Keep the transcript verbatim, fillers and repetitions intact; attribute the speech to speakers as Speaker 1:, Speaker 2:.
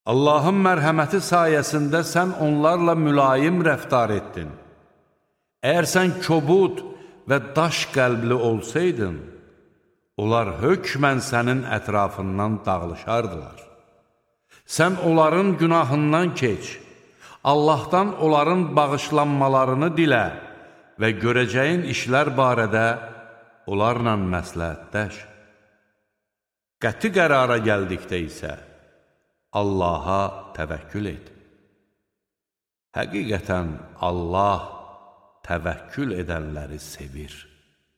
Speaker 1: Allahın mərhəməti sayəsində sən onlarla mülayim rəftar etdin. Əgər sən kobud və daş qəlbli olsaydın, onlar hökmən sənin ətrafından dağılışardılar. Sən onların günahından keç, Allahdan onların bağışlanmalarını dilə və görəcəyin işlər barədə onlarla məsləhətləş. Qəti qərara gəldikdə isə Allaha təvəkkül et. Həqiqətən Allah təvəkkül edənləri sevir.